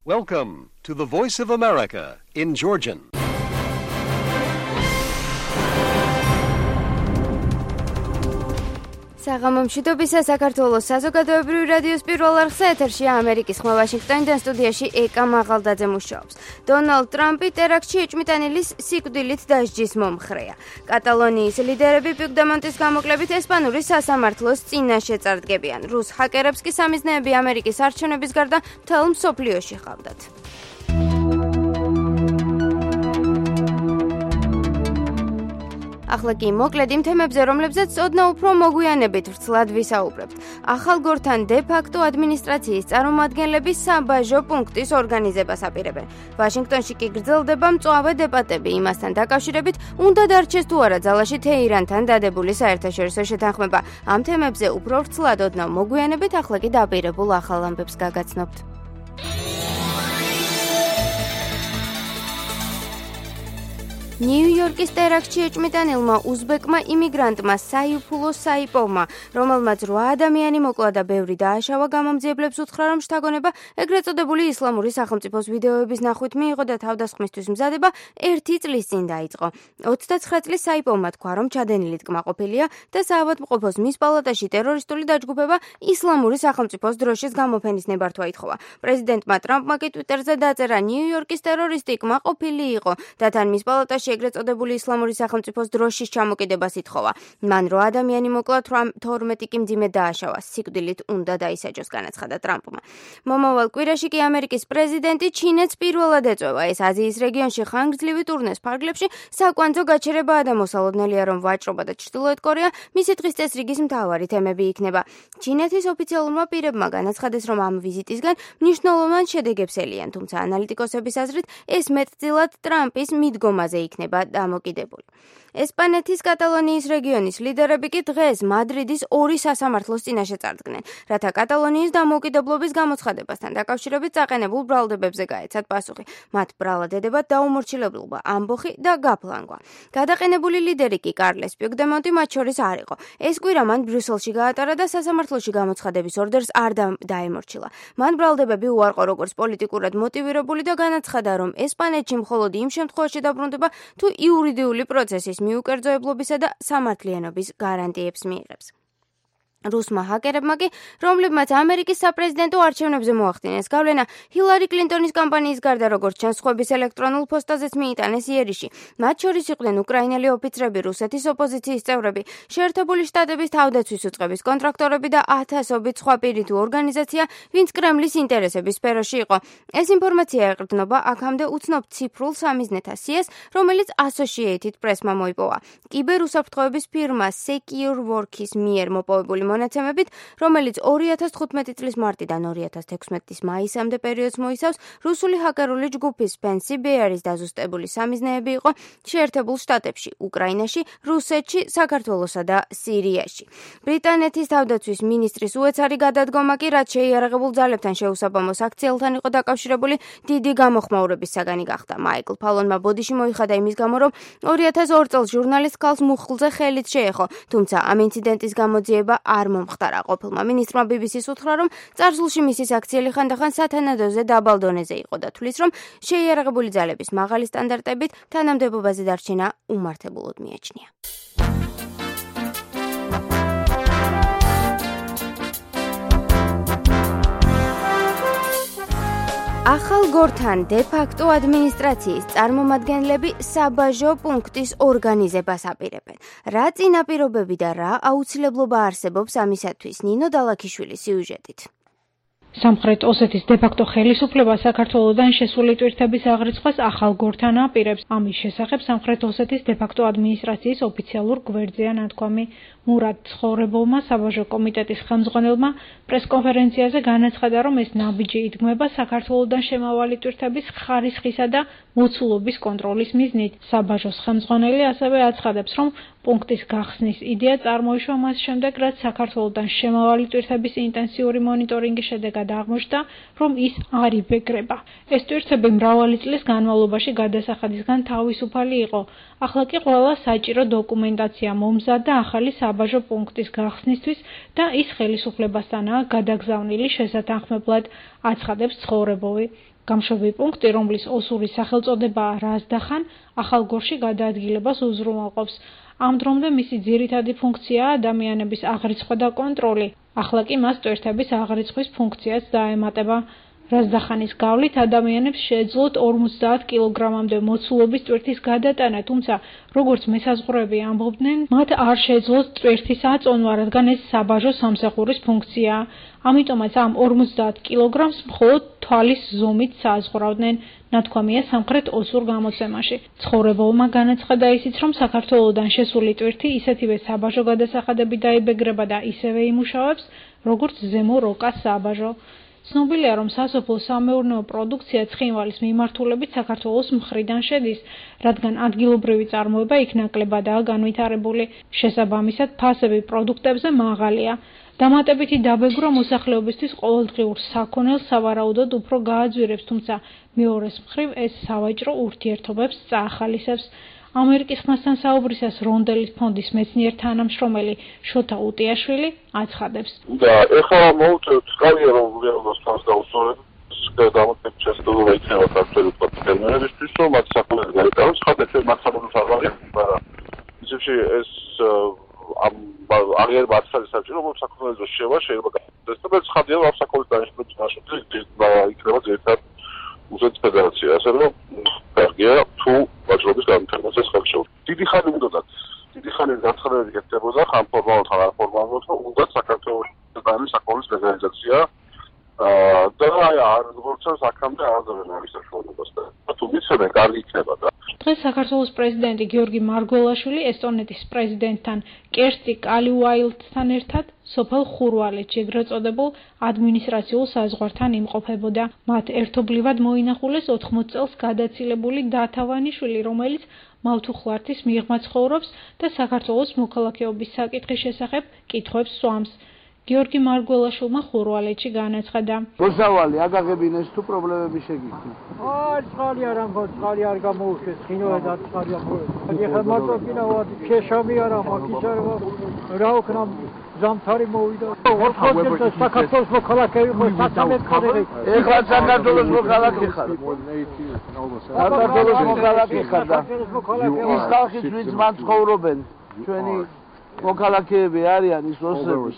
Welcome to the Voice of America in Georgian. საღამომშვიდობისა საქართველოს საზოგადოებრივი რადიოს პირველ არხზე ეთერშია ამერიკის ხმა ვაშინგტონიდან სტუდიაში ეკა მაღალდაძე მუშაობს. დონალდ ტრამპი ტერაქტში ეჭვმიტანილის სიკვდილით დასჯის მომხრეა. კატალონიის ლიდერები პუიგდემონტის გამოკლებით ესპანური სასამართლოს წინაშე წარდგებიან. რუს ჰაკერებს კი სამიზნეები ამერიკის არჩევნების გარდა მთელ მსოფლიოში ჰყავდათ. ახლა კი მოკლედ იმ თემებზე, რომლებზეც ოდნავ უფრო მოგვიანებით ვრცლად ვისაუბრებთ. ახალგორთან დე-ფაქტო ადმინისტრაციის წარმომადგენლები საბაჟო პუნქტის ორგანიზებას აპირებენ. ვაშინგტონში კი გრძელდება მწვავე დებატები იმასთან დაკავშირებით, უნდა დარჩეს თუ არა ძალაში თეირანთან დადებული საერთაშორისო შეთანხმება. ამ თემებზე უფრო ვრცლად ოდნავ მოგვიანებით, ახლა კი დაპირებულ ახალ ამბებს გაგაცნობთ. ნიუ-იორკის ტერაქტში ეჭვმიტანილმა უზბეკმა იმიგრანტმა საიფულო საიპოვმა, რომელმაც 8 ადამიანი მოკლა და ბევრი დააშავა, გამომძიებლებს უთხრა, რომ შთაგონება ეგრეთ წოდებული ისლამური სახელმწიფოს ვიდეოების ნახვით მიიღო და თავდასხმისთვის მზადება 1 წლის წინ დაიწყო. 29 წლის საიპოვმა თქვა, რომ ჩადენილით კმაყოფილია და საავადმყოფოს მის პალატაში ტერორისტული დაჯგუფება ისლამური სახელმწიფოს დროშის გამოფენის ნებართვა ითხოვა. პრეზიდენტმა ტრამპმა კი ტვიტერზე დაწერა, ნიუ-იორკის ტერორისტი კმაყოფილი იყო და თან მის პალატაში ეგრეთ წოდებული ისლამური სახელმწიფოს დროშის ჩამოკიდებას ითხოვა. მან 8 ადამიანი მოკლა, 12 კი მძიმე დააშავა. სიკვდილით უნდა დაისაჯოს, განაცხადა ტრამპმა. მომავალ კვირაში კი ამერიკის პრეზიდენტი ჩინეთს პირველად ეწვევა. ეს აზიის რეგიონში ხანგრძლივი ტურნეს ფარგლებში საკვანძო გაჩერებაა და მოსალოდნელია, რომ ვაჭრობა და ჩრდილოეთ კორეა მისი დღის წესრიგის მთავარი თემები იქნება. ჩინეთის ოფიციალურმა პირებმა განაცხადეს, რომ ამ ვიზიტისგან მნიშვნელოვან შედეგებს ელიან, თუმცა ანალიტიკოსების აზრით ეს მეტწილად ტრამპის მიდგომაზე იქნება დამოკიდებული. ესპანეთის კატალონიის რეგიონის ლიდერები კი დღეს მადრიდის 2 სასამართლოს წინაშე წარდგნენ, რათა კატალონიის დამოუკიდებლობის გამოცხადებასთან დაკავშირებით წაყენებულ ბრალდებებზე გაეცათ პასუხი. მათ ბრალად ედებათ დაუმორჩილებლობა, ამბოხი და გაფლანგვა. გადაყენებული ლიდერი კი კარლეს პუიგდემონტი მათ შორის არ იყო. ეს კვირა მან ბრიუსელში გაატარა და სასამართლოში გამოცხადების ორდერს არ დაემორჩილა. მან ბრალდებები უარყო როგორც პოლიტიკურად მოტივირებული და განაცხადა, რომ ესპანეთში მხოლოდ იმ შემთხვევაში დაბრუნდება, თუ იურიდიული პროცესის მიუკერძოებლობისა და სამართლიანობის გარანტიებს მიიღებს. რუსმა ჰაკერებმა კი, რომლებმაც ამერიკის საპრეზიდენტო არჩევნებზე მოახდინეს გავლენა, ჰილარი კლინტონის კამპანიის გარდა, როგორც ჩანს, სხვების ელექტრონულ პოსტაზეც მიიტანეს იერიში. მათ შორის იყვნენ უკრაინელი ოფიცრები, რუსეთის ოპოზიციის წევრები, შეერთებული შტატების თავდაცვის უწყების კონტრაქტორები და ათასობით სხვა პირი თუ ორგანიზაცია, ვინც კრემლის ინტერესების სფეროში იყო. ეს ინფორმაცია ეყრდნობა აქამდე უცნობ ციფრულ სამიზნეთა სიას, რომელიც Associated Press-მა მოიპოვა. კიბერუსაფრთხოების ფირმა SecureWorks-ის მიერ მოპოვებული მონაცემებით, რომელიც 2015 წლის მარტიდან 2016 წლის მაისამდე პერიოდს მოიცავს, რუსული ჰაკერული ჯგუფის Fancy Bear-ის დაზუსტებული სამიზნეები იყო შეერთებულ შტატებში, უკრაინაში, რუსეთში, საქართველოსა და სირიაში. ბრიტანეთის თავდაცვის მინისტრის უეცარი გადადგომა კი, რაც შეიარაღებულ ძალებთან შეუსაბამოს აქციელთან იყო დაკავშირებული, დიდი გამოხმაურების საგანი გახდა. მაიკლ ფალონმა ბოდიში მოიხადა იმის გამო, რომ 2002 წელს ჟურნალისტ ქალს მუხლზე ხელით შეეხო, თუმცა ამ ინციდენტის გამოძიება არ მომხდარა. ყოფილმა მინისტრმა BBC-ს უთხრა, რომ წარსულში მისი საქციელი ხანდახან სათანადოზე დაბალ დონეზე იყო და თვლის, რომ შეიარაღებული ძალების მაღალი სტანდარტებით თანამდებობაზე დარჩენა უმართებულად მიაჩნია. ახალგორთან დე-ფაქტო ადმინისტრაციის წარმომადგენლები საბაჟო პუნქტის ორგანიზებას აპირებენ. რა წინაპირობები და რა აუცილებლობა არსებობს ამისათვის? ნინო დალაქიშვილის სიუჟეტით. სამხრეთ ოსეთის დე-ფაქტო ხელისუფლება საქართველოდან შესული ტვირთების აღრიცხვას ახალგორთან აპირებს. ამის შესახებ სამხრეთ ოსეთის დე-ფაქტო ადმინისტრაციის ოფიციალურ გვერდზეა ნათქვამი. მურად ცხოვრებულმა საბაჟო კომიტეტის ხელმძღვანელმა პრესკონფერენციაზე განაცხადა, რომ ეს ნაბიჯი იდგმება საქართველოდან შემავალი ტვირთების ხარისხისა და მოცულობის კონტროლის მიზნით. საბაჟოს ხელმძღვანელი ასევე აცხადებს, რომ პუნქტის გახსნის იდეა წარმოიშვა მას შემდეგ, რაც საქართველოდან შემავალი ტვირთების ინტენსიური მონიტორინგის შედეგად შედეგად აღმოჩნდა, რომ ის არ იბეგრება. ეს ტვირთები მრავალი წლის განმავლობაში გადასახადისგან თავისუფალი იყო. ახლა კი ყველა საჭირო დოკუმენტაცია მომზადდა ახალი საბაჟო პუნქტის გახსნისთვის და ის ხელისუფლებასთანაა გადაგზავნილი შესათანხმებლად, აცხადებს ცხოვრებოვი. გამშვები პუნქტი, რომლის ოსური სახელწოდებაა რაზდახან, ახალგორში გადაადგილებას უზრუნველყოფს. ამ დრომდე მისი ძირითადი ფუნქციაა ადამიანების აღრიცხვა და კონტროლი. ახლა კი მას ტვირთების აღრიცხვის ფუნქციაც დაემატება. რაზდახანის გავლით ადამიანებს შეეძლოთ 50 კილოგრამამდე მოცულობის ტვირთის გადატანა, თუმცა როგორც მესაზღვრეები ამბობდნენ, მათ არ შეეძლოთ ტვირთის აწონვა, რადგან ეს საბაჟო სამსახურის ფუნქციაა. ამიტომაც ამ 50 კილოგრამს მხოლოდ თვალის ზომით საზღვრავდნენ, ნათქვამია სამხრეთ ოსურ გამოცემაში. ცხოვრებოვმა განაცხადა ისიც, რომ საქართველოდან შესული ტვირთი ისეთივე საბაჟო გადასახადები დაიბეგრება და ისევე იმუშავებს, როგორც ზემო როკას საბაჟო. ცნობილია, რომ სასოფლო-სამეურნეო პროდუქცია ცხინვალის მიმართულებით საქართველოს მხრიდან შედის, რადგან ადგილობრივი წარმოება იქ ნაკლებადაა განვითარებული. შესაბამისად, ფასები პროდუქტებზე მაღალია. დამატებითი დაბეგრვა მოსახლეობისთვის ყოველდღიურ საქონელს სავარაუდოდ უფრო გააძვირებს, თუმცა მეორეს მხრივ ეს სავაჭრო ურთიერთობებს წაახალისებს. ამერიკის ხმასთან საუბრისას რონდელის ფონდის მეცნიერ თანამშრომელი შოთა უტიაშვილი აცხადებს. და ეხლა მოვუწევთ კარიერა რომ რეალობას ფონს დაუსწორებს დამატებით შესაძლებლობა იქნება საქართველოს პარტნიორებისთვის რომ მათ საკუთარი გაიტანოს ხათეთ მათ საკუთარ საქმეა მაგრამ ისევ ეს აღიარ მართალი საჭირო რომ საკუთარ შევა შეიძლება გასდეს და ეს ხადია რომ საკუთარ დანიშნულებით იქნება ზედმეტად უსეთ ფედერაცია ასე რომ კარგია თუ ვაჭრობის განვითარებას ხელშეუხლებს. დიდი ხანი უნდათ დიდი ხანი განცხადებები გეთებოდა ხან ფორმალურად ხან არაფორმალურად რომ უნდა საქართველოს საკუთარი ლეგალიზაცია და არ როგორც აქამდე აღზევენ არის საშუალებას და თუ მიცემენ კარგი იქნება და დღეს საქართველოს პრეზიდენტი გიორგი მარგველაშვილი ესტონეთის პრეზიდენტთან კერსტი კალიუაილდთან ერთად სოფელ ხურვალეთში ეგრეთ წოდებულ ადმინისტრაციულ საზღვართან იმყოფებოდა. მათ ერთობლივად მოინახულეს 80 წელს გადაცილებული დათავანიშვილი, რომელიც მავთუხლართის მიღმა ცხოვრობს და საქართველოს მოქალაქეობის საკითხის შესახებ კითხვებს სვამს. გიორგი მარგველაშვილმა ხურვალეთში განაცხადა. მოსავალი აგაღებინეს თუ პრობლემები შეგიძლია. წყალი არ ამბობ, წყალი არ გამოუშვეს, ხინოა და წყალი ამბობ. ეხლა მარტო კიდევ შეშამი არა მაგის არ რა ვქნა ზამთარი მოვიდა. საქართველოს მოქალაქეები მოსაცამეთ ხარები. ეხლა საქართველოს მოქალაქე ხარ. საქართველოს მოქალაქე ხარ და ის ხალხის ვინც მან ცხოვრობენ ჩვენი მოქალაქეები არიან ის ოსების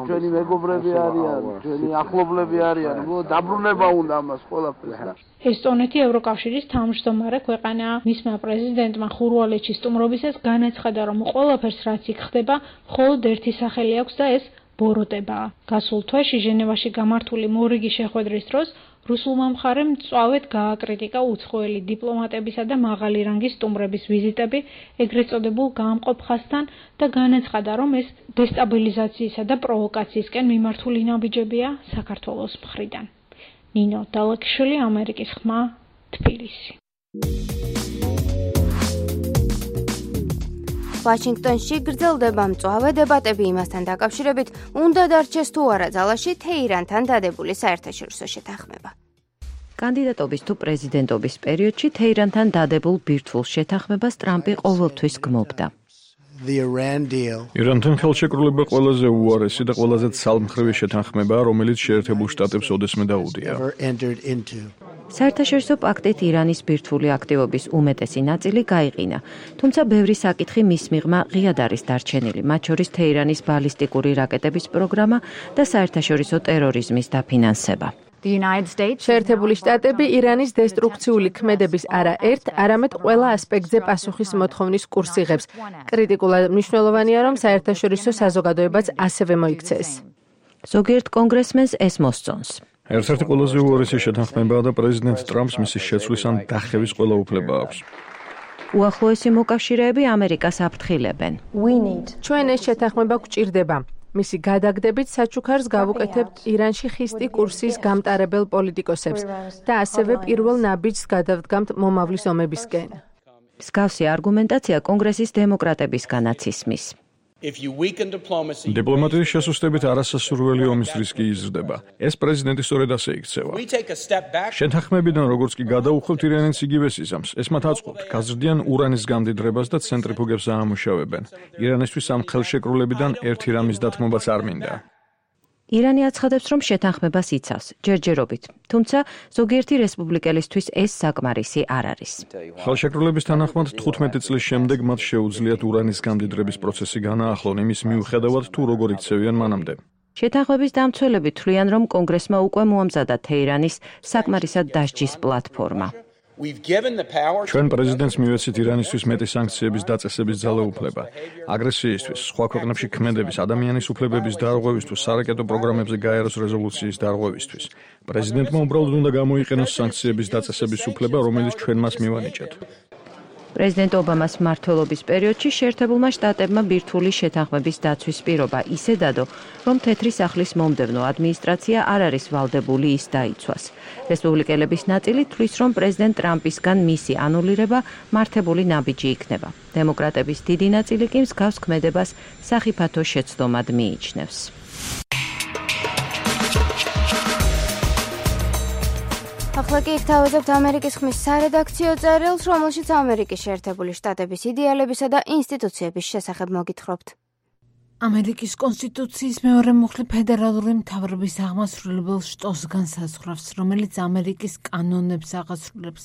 ჩვენი მეგობრები არიან ჩვენი ახლობლები არიან დაბრუნება უნდა ამას ყველაფერს და ესტონეთი ევროკავშირის თავმჯდომარე ქვეყანაა. მისმა პრეზიდენტმა ხურვალეთში სტუმრობისას განაცხადა, რომ ყველაფერს რაც იქ ხდება, მხოლოდ ერთი სახელი აქვს და ეს ბოროტებაა. გასულ თვეში ჟენევაში გამართული მორიგი შეხვედრის დროს რუსულმა მხარემ მწვავედ გააკრიტიკა უცხოელი დიპლომატებისა და მაღალი რანგის სტუმრების ვიზიტები ეგრეთ წოდებულ გაამყოფ ხაზთან და განაცხადა, რომ ეს დესტაბილიზაციისა და პროვოკაციისკენ მიმართული ნაბიჯებია საქართველოს მხრიდან. ნინო დალექიშვილი, ამერიკის ხმა, თბილისი. ვაშინგტონში გრძელდება მწვავე დებატები იმასთან დაკავშირებით, უნდა დარჩეს თუ არა ძალაში თეირანთან დადებული საერთაშორისო შეთანხმება. კანდიდატობის თუ პრეზიდენტობის პერიოდში თეირანთან დადებულ ბირთვულ შეთანხმებას ტრამპი ყოველთვის გმობდა. ირანთან ხელშეკრულება ყველაზე უარესი და ყველაზე ცალმხრივი შეთანხმებაა, რომელიც შეერთებულ შტატებს ოდესმე დაუდია. საერთაშორისო პაქტით ირანის ბირთვული აქტივობის უმეტესი ნაწილი გაიყინა, თუმცა ბევრი საკითხი მის მიღმა ღიად არის დარჩენილი, მათ შორის თეირანის ბალისტიკური რაკეტების პროგრამა და საერთაშორისო ტერორიზმის დაფინანსება. შეერთებული შტატები ირანის დესტრუქციული ქმედების არა ერთ, არამედ ყველა ასპექტზე პასუხის მოთხოვნის კურსს იღებს. კრიტიკულად მნიშვნელოვანია, რომ საერთაშორისო საზოგადოებაც ასევე მოიქცეს. ზოგიერთ კონგრესმენს ეს მოსწონს. ერთ-ერთი ყველაზე უარესი შეთანხმებაა და პრეზიდენტ ტრამპს მისი შეცვლის ან დახევის ყველა უფლება აქვს. უახლოესი მოკავშირეები ამერიკას აფრთხილებენ. ჩვენ ეს შეთანხმება გვჭირდება. მისი გადაგდებით საჩუქარს გავუკეთებთ ირანში ხისტი კურსის გამტარებელ პოლიტიკოსებს და ასევე პირველ ნაბიჯს გადავდგამთ მომავლის ომებისკენ. მსგავსი არგუმენტაცია კონგრესის დემოკრატებისგანაც ისმის. დიპლომატიის შესუსტებით არასასურველი ომის რისკი იზრდება. ეს პრეზიდენტი სწორედ ასე იქცევა. შეთანხმებიდან როგორც კი გადაუხვევთ ირანს იგივეს იზამს. ეს მათ აწყობთ, გაზრდიან ურანის გამდიდრებას და ცენტრიფუგებს აამუშავებენ. ირანისთვის ამ ხელშეკრულებიდან ერთი რამის დათმობაც არ მინდა. ირანი აცხადებს, რომ შეთანხმებას იცავს, ჯერჯერობით, თუმცა ზოგიერთი რესპუბლიკელისთვის ეს საკმარისი არ არის. ხელშეკრულების თანახმად 15 წლის შემდეგ მათ შეუძლიათ ურანის გამდიდრების პროცესი განაახლონ იმის მიუხედავად თუ როგორ იქცევიან მანამდე. შეთანხმების დამცველები თვლიან, რომ კონგრესმა უკვე მოამზადა თეირანის საკმარისად დასჯის პლატფორმა. ჩვენ პრეზიდენტს მივეცით ირანისთვის მეტი სანქციების დაწესების ძალაუფლება, აგრესიისთვის, სხვა ქვეყნებში ქმედების, ადამიანის უფლებების დარღვევისთვის, სარაკეტო პროგრამებზე გაეროს რეზოლუციის დარღვევისთვის. პრეზიდენტმა უბრალოდ უნდა გამოიყენოს სანქციების დაწესების უფლება, რომელიც ჩვენ მას მივანიჭეთ. პრეზიდენტ ობამას მმართველობის პერიოდში შეერთებულმა შტატებმა ბირთვული შეთანხმების დაცვის პირობა ისე დადო, რომ თეთრი სახლის მომდევნო ადმინისტრაცია არ არის ვალდებული ის დაიცვას. რესპუბლიკელების ნაწილი თვლის, რომ პრეზიდენტ ტრამპისგან მისი ანულირება მართებული ნაბიჯი იქნება. დემოკრატების დიდი ნაწილი კი მსგავს ქმედებას სახიფათო შეცდომად მიიჩნევს. ახლა კი გთავაზობთ ამერიკის ხმის სარედაქციო წერილს, რომელშიც ამერიკის შეერთებული შტატების იდეალებისა და ინსტიტუციების შესახებ მოგითხრობთ. ამერიკის კონსტიტუციის მეორე მუხლი ფედერალური მთავრობის აღმასრულებელ შტოს განსაზღვრავს, რომელიც ამერიკის კანონებს აღასრულებს.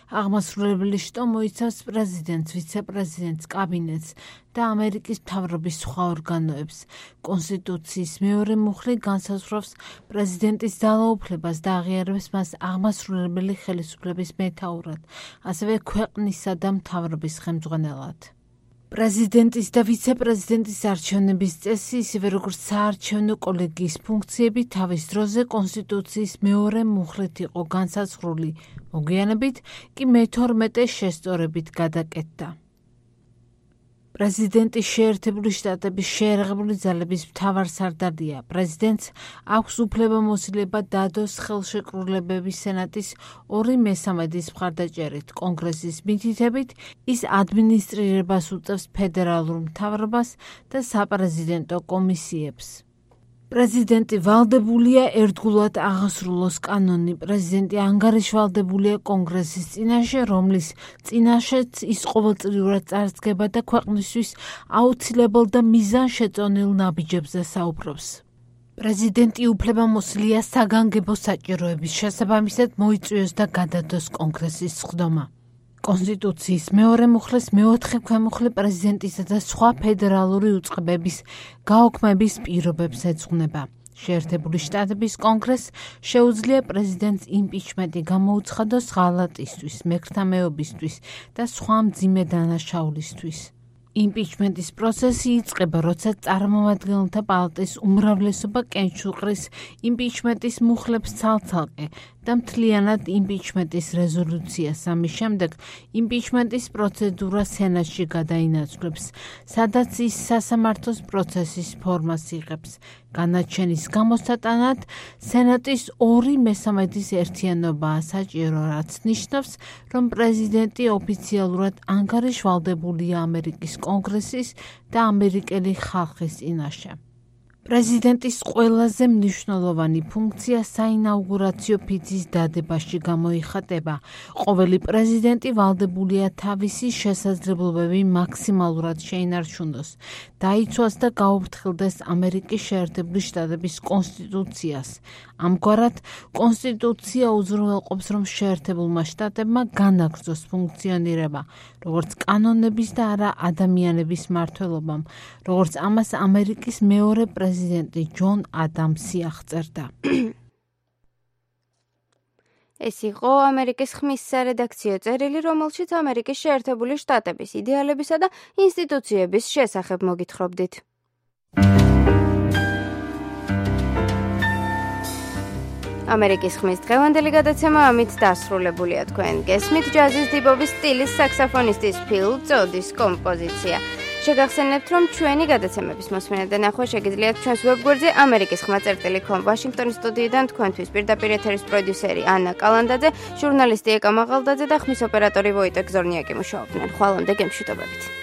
აღმასრულებელი შტო მოიცავს პრეზიდენტს, ვიცე-პრეზიდენტს, კაბინეტს და ამერიკის მთავრობის სხვა ორგანოებს. კონსტიტუციის მეორე მუხლი განსაზღვრავს პრეზიდენტის ძალაუფლებას და აღიარებს მას აღმასრულებელი ხელისუფლების მეთაურად, ასევე ქვეყნისა და მთავრობის ხელმძღვანელად. პრეზიდენტის და ვიცე-პრეზიდენტის არჩევნების წესი, ისევე როგორც საარჩევნო კოლეგიის ფუნქციები თავის დროზე კონსტიტუციის მეორე მუხლით იყო განსაზღვრული, მოგვიანებით კი მე-12 შესწორებით გადაკეთდა. პრეზიდენტი შეერთებული შტატების შეერაღებული ძალების მთავარსარდალია. პრეზიდენტს აქვს უფლებამოსილება დადოს ხელშეკრულებები სენატის 2/3 მხარდაჭერით. კონგრესის მითითებით ის ადმინისტრირებას უწევს ფედერალურ მთავრობას და საპრეზიდენტო კომისიებს. პრეზიდენტი ვალდებულია ერთგულად აღასრულოს კანონი. პრეზიდენტი ანგარიშვალდებულია კონგრესის წინაშე, რომლის წინაშეც ის ყოველწლიურად წარსდგება და ქვეყნისთვის აუცილებელ და მიზანშეწონილ ნაბიჯებზე საუბრობს. პრეზიდენტი უფლებამოსილია საგანგებო საჭიროების შესაბამისად მოიწვიოს და გადადოს კონგრესის სხდომა. კონსტიტუციის მეორე მუხლის მეოთხე ქვემუხლი პრეზიდენტისა და სხვა ფედერალური უწყებების გაუქმების პირობებს ეძღვნება. შეერთებული შტატების კონგრესს შეუძლია პრეზიდენტს იმპიჩმენტი გამოუცხადოს ღალატისთვის, მექრთამეობისთვის და სხვა მძიმე დანაშაულისთვის. იმპიჩმენტის პროცესი იწყება, როცა წარმომადგენელთა პალატის უმრავლესობა კენჭუყრის იმპიჩმენტის მუხლებს ცალ-ცალკე და მთლიანად იმპიჩმენტის რეზოლუციას. ამის შემდეგ იმპიჩმენტის პროცედურა სენატში გადაინაცვლებს, სადაც ის სასამართლოს პროცესის ფორმას იღებს. განაჩენის გამოსატანად სენატის 2/3 ერთიანობაა საჭირო, რაც ნიშნავს, რომ პრეზიდენტი ოფიციალურად ანგარიშვალდებულია ამერიკის კონგრესის და ამერიკელი ხალხის წინაშე. პრეზიდენტის ყველაზე მნიშვნელოვანი ფუნქცია საინაუგურაციო ფიცის დადებაში გამოიხატება. ყოველი პრეზიდენტი ვალდებულია თავისი შესაძლებლობები მაქსიმალურად შეინარჩუნოს, დაიცვას და გაუფრთხილდეს ამერიკის შეერთებული შტატების კონსტიტუციას. ამგვარად, კონსტიტუცია უზრუნველყოფს, რომ შეერთებულმა შტატებმა განაგრძოს ფუნქციონირება, როგორც კანონების და არა ადამიანების მმართველობამ, როგორც ამას ამერიკის მეორე პრეზიდენტი ჯონ ადამსი აღწერდა. ეს იყო ამერიკის ხმის სარედაქციო წერილი, რომელშიც ამერიკის შეერთებული შტატების იდეალებისა და ინსტიტუციების შესახებ მოგითხრობდით. ამერიკის ხმის დღევანდელი გადაცემა ამით დასრულებულია. თქვენ გესმით ჯაზის დიბობის სტილის საქსოფონისტის ფილ წოდის კომპოზიცია. შეგახსენებთ, რომ ჩვენი გადაცემების მოსმენა და ნახვა შეგიძლიათ ჩვენს ვებგვერდზე amerikis.com ვაშინგტონის სტუდიიდან თქვენთვის პირდაპირ ეთერის პროდიუსერი ანა კალანდაძე, ჟურნალისტი ეკა მაღალდაძე და ხმის ოპერატორი ვოიტეკ ზორნიაკი მუშაობდნენ. ხვალამდე გემშვიდობებით.